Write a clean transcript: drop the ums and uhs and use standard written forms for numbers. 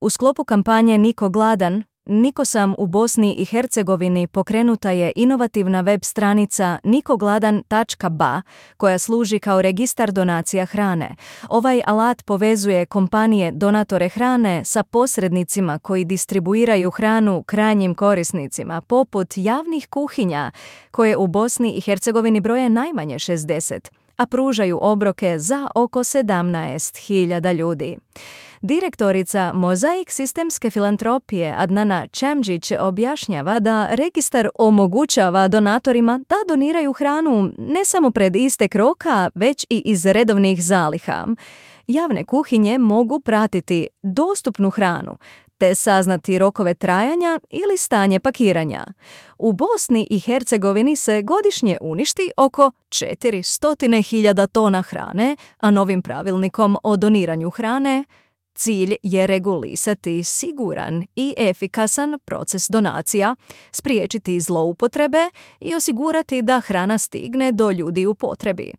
U sklopu kampanje Niko gladan, Niko sam u Bosni i Hercegovini pokrenuta je inovativna web stranica nikogladan.ba koja služi kao registar donacija hrane. Ovaj alat povezuje kompanije donatore hrane sa posrednicima koji distribuiraju hranu krajnjim korisnicima, poput javnih kuhinja koje u Bosni i Hercegovini broje najmanje 60, a pružaju obroke za oko 17.000 ljudi. Direktorica Mozaik sistemske filantropije Adnana Čemđić objašnjava da registar omogućava donatorima da doniraju hranu ne samo pred istek roka, već i iz redovnih zaliha. Javne kuhinje mogu pratiti dostupnu hranu, te saznati rokove trajanja ili stanje pakiranja. U Bosni i Hercegovini se godišnje uništi oko 400.000 tona hrane, a novim pravilnikom o doniranju hrane cilj je regulisati siguran i efikasan proces donacija, spriječiti zloupotrebe i osigurati da hrana stigne do ljudi u potrebi.